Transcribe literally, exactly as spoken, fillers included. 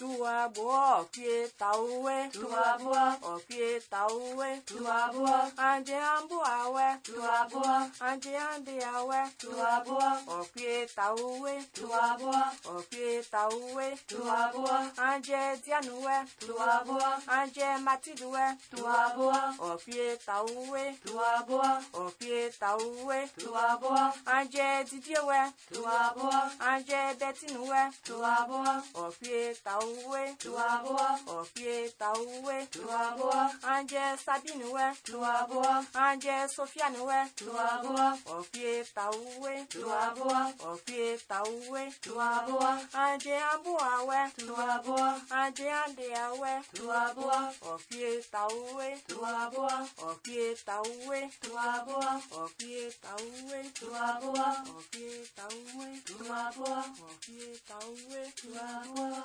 Tua boa, pie tauwe. Tua boa, O pie tauwe. tua boa, Anje ambu awe. tua boa, Anje ande awe. tua boa, O pie tauwe. tua boa, O pie tauwe. tua boa, Anje dianuwe. tua boa, Anje matiduwe. tua boa, O pie tauwe. tua boa, O pie tauwe. tua boa, Anje didiewe. tua boa, Anje betinuwe. tua boa, O pie tauwe. tua boa, O pie tauwe. tua boa, Anje sabinuwe. tua boa, Anje sofianuwe. tua boa, O pie tauwe. tua boa, O pie tauwe. tua boa, Anje ambuawe. tua boa, Anje andeawe. tua boa, O pie tauwe. tua boa, O pie tauwe. tua boa, O pie tauwe. tua boa, O pie tauwe. tua boa, O pie tauwe. tua boa.